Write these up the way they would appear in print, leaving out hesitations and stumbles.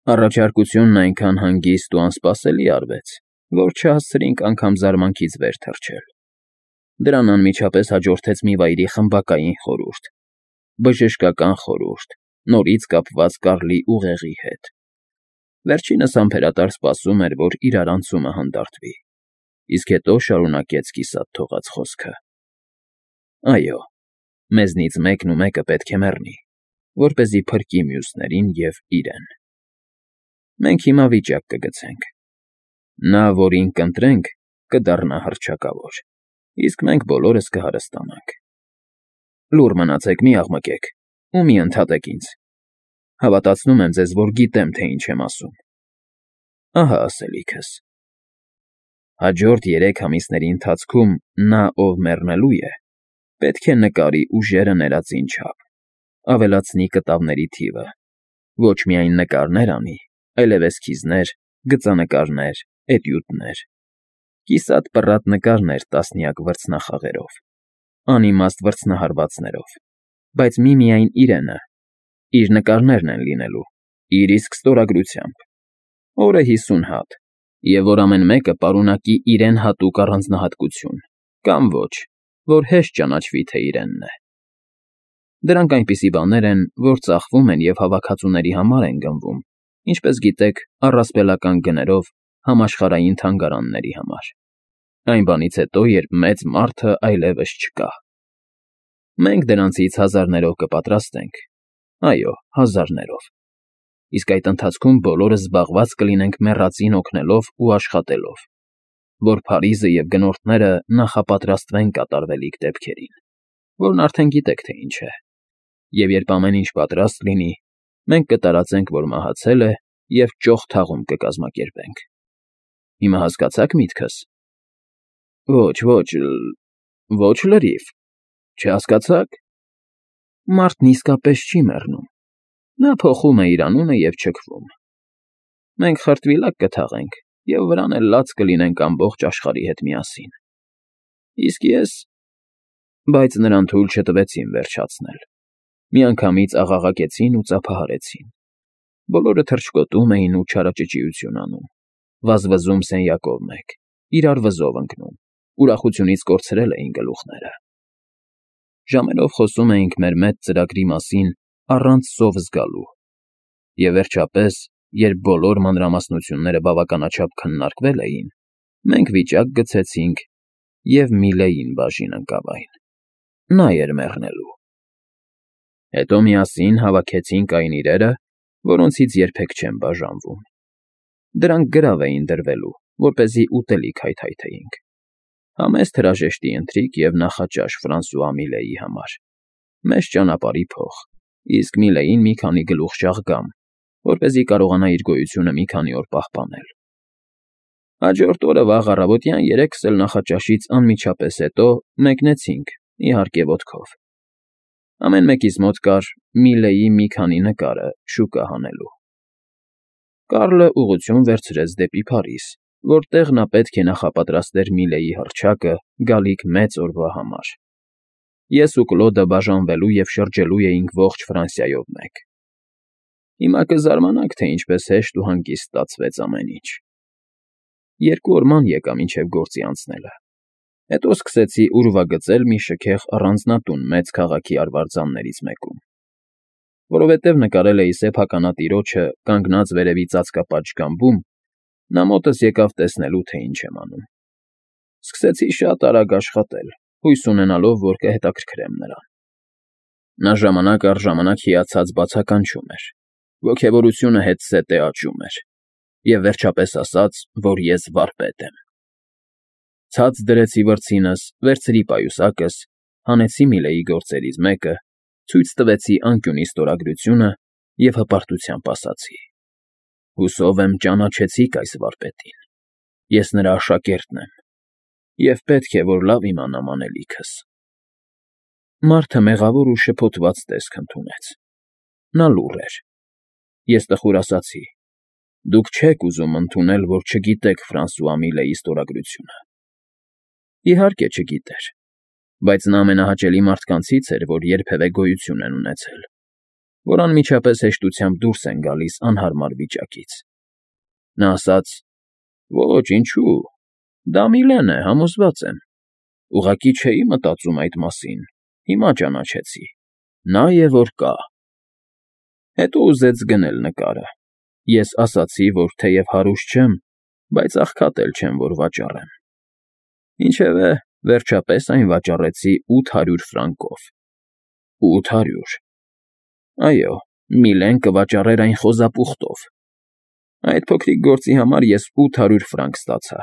Առաջարկությունն այնքան հանգիստ ու անսպասելի արվեց, որ չհասցրինք անգամ զարմանքից վեր թռչել. դրան անմիջապես հաջորդեց մի վայրի խմբակային խորհուրդ, բժշկական խորհուրդ, նորից կապված Կարլի ուղեղի հետ. վերջինս համբերատար սպասում էր, որ իրարանցումը հանդարտվի, իսկ հետո շարունակեց կիսատ թողած խոսքը. այո, մեզնից մեկն ու մեկը պետք է մեռնի, որպեսզի փրկի մյուսներին և իրեն. մենք հիմա վիճակ կգցենք. նա, որին կընտրենք, կդառնա հռչակավոր, իսկ մենք բոլորս կհարստանանք. լուռ մնացեք, մի աղմկեք ու մի ընդհատեք ինձ. հավատացնում եմ ձեզ, որ գիտեմ, թե ինչ եմ ասում. ահա ասելիքս. հաջորդ 3 ամիսների ընթացքում նա, ով մեռնելու է, պետք է նկարի ուժերը ներածին չափ, ավելացնի կտավների թիվը, ոչ միայն նկարներ անի, այլև էսքիզներ, գծանկարներ, էտյուդներ, կիսատ պռատ նկարներ տասնյակ վրձնախաղերով, անիմաստ վրձնահարվածներով, բայց միմիայն իրենը, իր նկարներն են լինելու, իր իսկ ստորագրությամբ, օրը 50 հատ, և որ ամեն մեկը պարունակի իրեն հատուկ առանձնահատկություն, կամ ոչ, որ հեշտ ճանաչվի, թե իրենն է. դրանք այնպիսի բաներ են, որ ծախվում են և հավաքածուների համար են գնվում, ինչպես գիտեք, առասպելական գներով համաշխարհային թանգարանների համար, այն բանից հետո, երբ մեծ մարդը այլևս չկա. մենք դրանցից հազարներով կպատրաստենք, այո, հազարներով, իսկ այդ ընթացքում բոլորս զբաղված կլինենք մեռածին օգնելով ու աշխատելով, որ Փարիզը և գնորդները նախապատրաստվեն կատարվելիք դեպքերին, որն արդեն գիտեք, թե ինչ է, և երբ ամեն ինչ պատրաստ լինի, մենք կտարածենք, որ մահացել է և ճոխ թաղում կկազմակերպենք. հիմա հասկացա՞ք միտքս. ոչ լրիվ, չհասկացա՞ք. մարդն իսկապես չի մեռնում, նա փոխում է իր անունը և չքվում, մենք խրտվիլակ կթաղենք և վրան էլ լաց կլինենք ամբողջ աշխարհի հետ միասին, իսկ ես… բայց նրան թույլ չտվեցին վերջացնել, միանգամից աղաղակեցին ու ծափահարեցին, բոլորը թռչկոտում էին ու չարաճճիություն անում, վազվզում սենյակով մեկ, իրար վզով ընկնում, ուրախությունից կորցրել էին գլուխները. ժամերով խոսում էինք մեր մեծ ծրագրի մասին առանց սով զգալու, և վերջապես, երբ բոլոր մանրամասնությունները բավականաչափ քննարկվել էին, մենք վիճակ գցեցինք և Միլեին բաժին ընկավ այն. նա էր մեռնելու. հետո միասին հավաքեցինք այն իրերը, որոնցից երբեք չեմ բաժանվում, դրանք գրավ էին դրվելու, որպեսզի ուտելիք հայթայթեինք, համեստ հրաժեշտի ընթրիք և նախաճաշ Ֆրանսուଆ Միլեի համար, մեծ ճանապարհի փող, իսկ Միլեին մի քանի գլուխ շաղգամ, որպեսզի կարողանա իր գոյությունը մի քանի օր պահպանել. հաջորդ օրը վաղ առավոտյան 3-ս էլ նախաճաշից անմիջապես հետո մեկնեցինք, իհարկե ոտքով, ամեն մեկիս մոտ կար Միլեի մի քանի նկարը շուկա հանելու. Կարլը ուղղություն վերցրեց դեպի Փարիզ, որտեղ նա պետք է նախապատրաստեր Միլեի հռչակը գալիք մեծ օրվա համար, ես ու Կլոդը բաժանվելու և շրջելու էինք ողջ Ֆրանսիայով մեկ. հիմա կզարմանաք, թե ինչպես հեշտ ու հանգիստ ստացվեց ամեն ինչ. 2 օր ման եկա մինչև գործի անցնելը, հետո սկսեցի ուրվագծել մի շքեղ առանձնատուն մեծ քաղաքի արվարձաններից մեկում, որովհետև նկարել էի սեփականատիրոջը կանգնած վերևի ծածկապատ ժգամբում, նա մոտս եկավ տեսնելու, թե ինչ եմ անում, սկսեցի շատ արագ աշխատել, հույս ունենալով, որ կհետաքրքրեմ նրան, նա ժամանակ առ ժամանակ հիացած բացականչում էր, ոգևորությունը հետզհետե աճում էր, և վերջապես ասաց, որ ես վարպետ եմ, ցած դրեցի վրձինս, վերցրի պայուսակս, հանեցի Միլեի գործերից մեկը, ցույց տվեցի անկյունի ստորագրությունը և հպարտությամբ ասացի. հուսով եմ ճանաչեցիք այս վարպետին, ես նրա աշակերտն եմ և պետք է, որ լավ իմանամ անելիքս. մարդը մեղավոր ու շփոթված տեսք ընդունեց, նա լուռ էր, ես տխուր ասացի. դուք չեք ուզում ընդունել, որ չգիտեք Ֆրանսուଆ Միլեի ստորագրությունը, իհարկե չգիտեր, բայց նա ամենահաճելի մարդկանցից էր, որ երբևէ գոյություն են ունեցել, որ անմիջապես հեշտությամբ դուրս են գալիս անհարմար վիճակից։ Նա ասաց. «Ոչ, ինչու, դա Միլեն է, համոզված եմ։ Ուղղակի չէի մտածում այդ մասին, հիմա ճանաչեցի, նա է, որ կա»։ Հետո ուզեց գնել նկարը։ Ես ասացի, որ թեև հարուստ չեմ, բայց աղքատ էլ չեմ, որ վաճառեմ։ Ինչևէ, վերջապես այն վաճառեցի 800 ֆրանկով։ 800։ Այո, Միլեն կվաճառեր այն խոզապուխտով։ Այդ փոքրիկ գործի համար ես 800 ֆրանկ ստացա։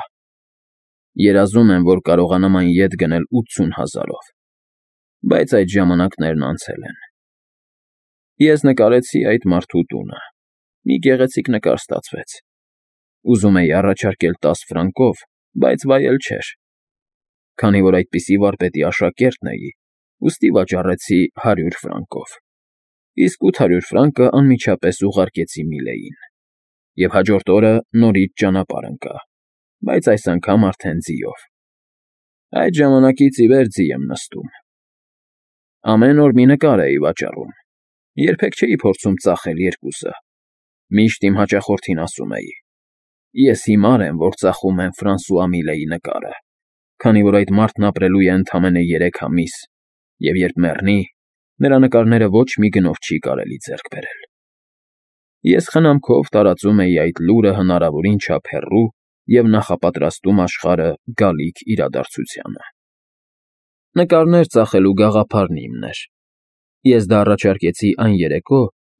Երազում եմ, որ կարողանամ այն ետ գնել 80 000-ով, բայց այդ ժամանակներն անցել են։ Ես նկարեցի այդ մարդու տունը։ Մի գեղեցիկ նկար ստացվեց։ Ուզում էի առաջարկել 10 ֆրանկով, բայց վայել չէր։ Քանի որ այդպիսի վարպետի աշակերտն էի, ուստի վաճառեցի 100 ֆրանկով, իսկ 800 ֆրանկը անմիջապես ուղարկեցի Միլեին։ Եվ հաջորդ օրը նորից ճանապարհ ընկա, բայց այս անգամ արդեն ձիով։ Այդ ժամանակից ի վեր ձի եմ նստում։ Ամեն օր մի նկար էի վաճառում։ Երբեք չէի փորձում ծախել երկուսը։ Միշտ իմ հաճախորդին ասում էի. «Ես հիմար եմ, որ ծախում եմ Ֆրանսուଆ Միլեի նկարը, քանի որ այդ մարդն ապրելու է ընդամենը 3 ամիս, և երբ մեռնի, նրա նկարները ոչ մի գնով չի կարելի ձեռք բերել»։ Ես խնամքով տարածում էի այդ լուրը հնարավորին չափ հեռու և նախապատրաստում աշխարհը գալիք իրադարձությանը։ Նկարներ ծախելու գաղափարն իմն էր։ Ես դա առաջարկեցի այն երեկո,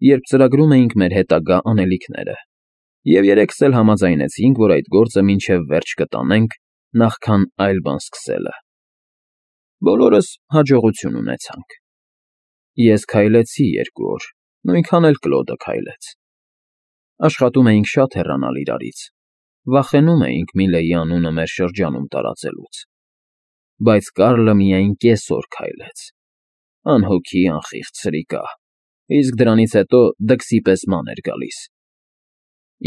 երբ ծրագրում էինք մեր հետագա անելիքները, և երեքս էլ համաձայնեցինք, որ այդ գործը մինչև վերջ կտանենք, նախքան այլ բան սկսելը։ Բոլորս հաջողություն ունեցանք։ Ես քայլեցի 2 օր, նույնքան էլ Կլոդը քայլեց։ Աշխատում էինք շատ հեռանալ իրարից, վախենում էինք Միլեի անունը մեր շրջանում տարածելուց։ Բայց Կարլը միայն կեսօր քայլեց։ Անհոգի անխիղճ սրիկա, իսկ դրանից հետո դքսի պես ման էր գալիս։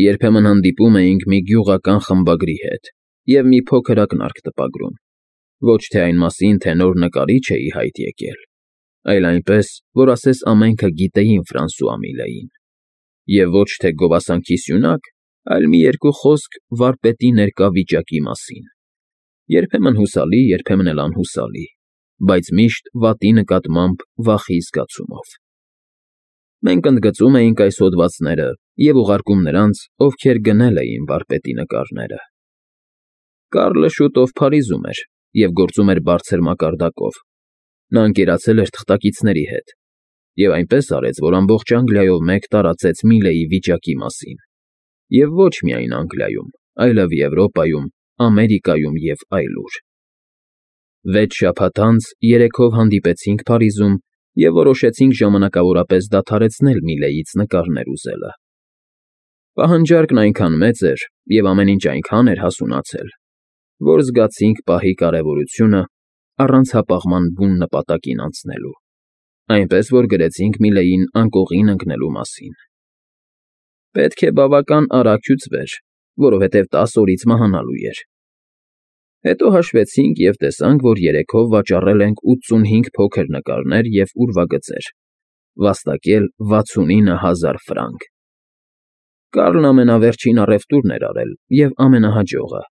Երբեմն հանդիպում էինք մի գյուղական խմբագրի հետ և մի փոքր ակնարկ տպագրում, ոչ թե այն մասին, թե նոր նկարիչ էի հայտ եկել, այլ այնպես, որ ասես ամենքը գիտեին Ֆրանսուଆ Միլեին, և ոչ թե գովասանքի սյունակ, այլ մի երկու խոսք վարպետի ներկա վիճակի մասին, երբեմն հուսալի, երբեմն էլ անհուսալի, բայց միշտ վատի նկատմամբ վախի զգացումով։ Մենք ընդգծում էինք այս հոդվածները և ուղարկում նրանց, ովքեր գնել էին վարպետի նկարները։ Կարլը շուտով Փարիզում էր և գործում էր բարձր մակարդակով։ Նա ընկերացել էր թղթակիցների հետ և այնպես արեց, որ ամբողջ Անգլիայով մեկ տարածեց Միլեի վիճակի մասին, և ոչ միայն Անգլիայում, այլև Եվրոպայում, Ամերիկայում և այլուր։ 6 շաբաթ անց երեքով հանդիպեցինք Փարիզում և որոշեցինք ժամանակավորապես դադարեցնել Միլեից նկարներ ուզելը։ Պահանջարկն այնքան մեծ էր և ամեն ինչ այնքան էր հասունացել, որ զգացինք պահի կարևորությունը առանց հապաղման բուն նպատակին անցնելու, այնպես որ գրեցինք Միլեին անկողին ընկնելու մասին։ Պետք է բավական արագ հյուծվեր, որովհետև 10 օրից մահանալու էր։ Հետո հաշվեցինք և տեսանք, որ երեքով վաճառել ենք 85 փոքր նկարներ և ուրվագծեր, վաստակել 69 000 ֆրանկ։ Կարլն ամենավերջին առևտուրն էր արել և ամենահաջողը։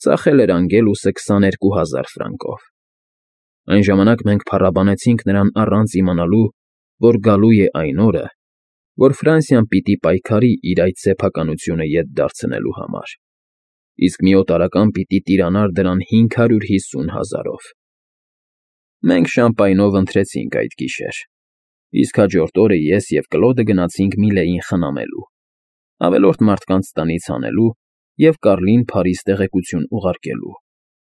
Ծախել էր անգելուսը 22 000 ֆրանկով։ Այն ժամանակ մենք փառաբանեցինք նրան առանց իմանալու, որ գալու է այն օրը, որ Ֆրանսիան պիտի պայքարի իր այդ սեփականությունը ետ դարձնելու համար, իսկ մի օտարական պիտի տիրանար դրան 550 000-ով։ Մենք շամպայնով ընթրեցինք այդ գիշեր, իսկ հաջորդ օրը ես և Կլոդը գնացինք Միլեին խնամելու, ավելորդ մարդկանց տնից հանելու և Կարլին Փարիզ տեղեկություն ուղարկելու,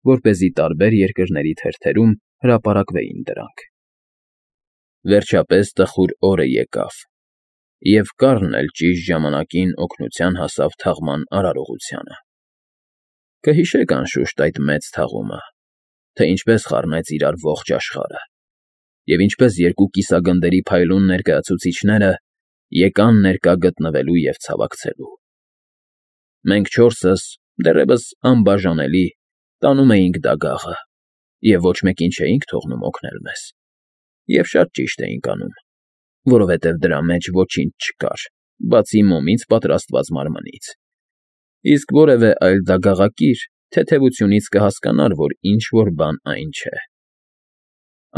որպեսզի տարբեր երկրների թերթերում հրապարակվեին դրանք։ Վերջապես տխուր օրը եկավ, և Կարլն էլ ճիշտ ժամանակին օգնության հասավ թաղման արարողությանը։ Կհիշեք, անշուշտ, այդ մեծ թաղումը, թե ինչպես խառնեց իրար ողջ աշխարհը, և ինչպես երկու կիսագնդերի փայլուն ներկայացուցիչները եկան ներկա գտնվելու և ցավակցելու։ Մենք չորսս, դեռևս անբաժանելի, տանում էինք դագաղը և ոչ մեկին չէինք թողնում օգնել մեզ, և շատ ճիշտ էինք անում։ որովհետև դրա մեջ ոչինչ չկար, բացի մոմից պատրաստված մարմնից։ Իսկ որևէ այլ դագաղակիր թեթևությունից կհասկանար, որ ինչ֊որ բան այն չէ։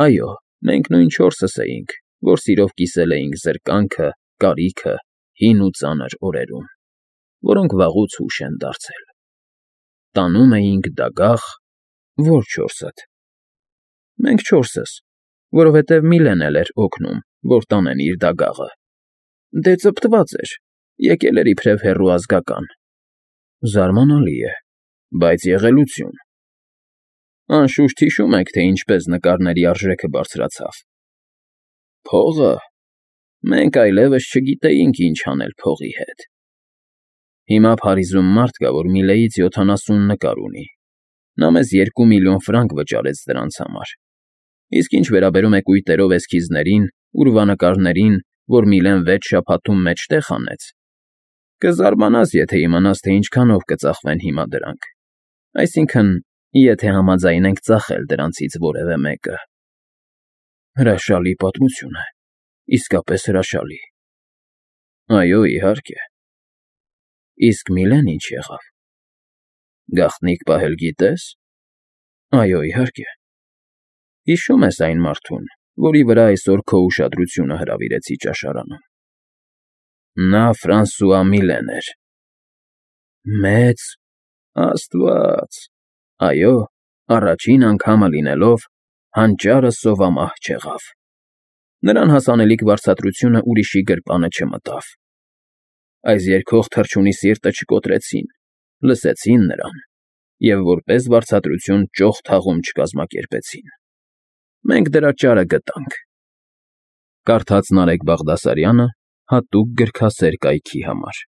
Այո, մենք նույն չորսս էինք, որ սիրով կիսել էինք զրկանքը, կարիքը, հին ու ծանր օրերում, որոնք վաղուց հուշ են դարձել։ Տանում էինք դագաղ, ո՞ր չորսդ։ Մենք չորսս, որովհետև Միլեն էլ էր օգնում, որ տանեն իր դագաղը։ Դե ծպտված էր, եկել էր իբրև հեռու ազգական։ Զարմանալի է, բայց եղելություն։ Անշուշտ հիշում եք, թե ինչպես նկարների արժեքը բարձրացավ։ Փողը… Մենք այլևս չգիտեինք ինչ անել փողի հետ։ Հիմա Փարիզում մարդ կա, որ Միլեից 70 նկար ունի։ Նա մեզ 2 միլիոն ֆրանկ վճարեց դրանց համար։ Իսկ ինչ վերաբերում է կույտերով էսքիզներին, ուրվանկարներին, որ Միլեն 6 շաբաթում մեջտեղ հանեց, կզարմանաս, եթե իմանաս, թե ինչքանով կծախվեն հիմա դրանք, այսինքն, եթե համաձայնենք ծախել դրանցից որևէ մեկը։ Հրաշալի պատմություն է, իսկապես հրաշալի։ Այո, իհարկե։ Իսկ Միլեն ինչ եղավ։ Գաղտնիք պահել գիտես։ Այո, իհարկե։ Հիշում ես այն մարդուն, որի վրա այսօր քո ուշադրությունը հրավիրեցի ճաշարանում։ Նա Ֆրանսուଆ Միլեն էր։ Մեծ… Աստված… Այո, առաջին անգամը լինելով, հանճարը սովամահ չեղավ։ Նրան հասանելիք վարձատրությունը ուրիշի գրպանը չմտավ։ Այս երգող թռչունի սիրտը չկոտրեցին, լսեցին նրան և որպես վարձատրություն ճոխ թաղում չկազմակերպեցին։ Մենք դրա ճարը գտանք։ Կարդաց Նարեկ Բաղդասարյանը հատուկ գրքասեր կայքի համար։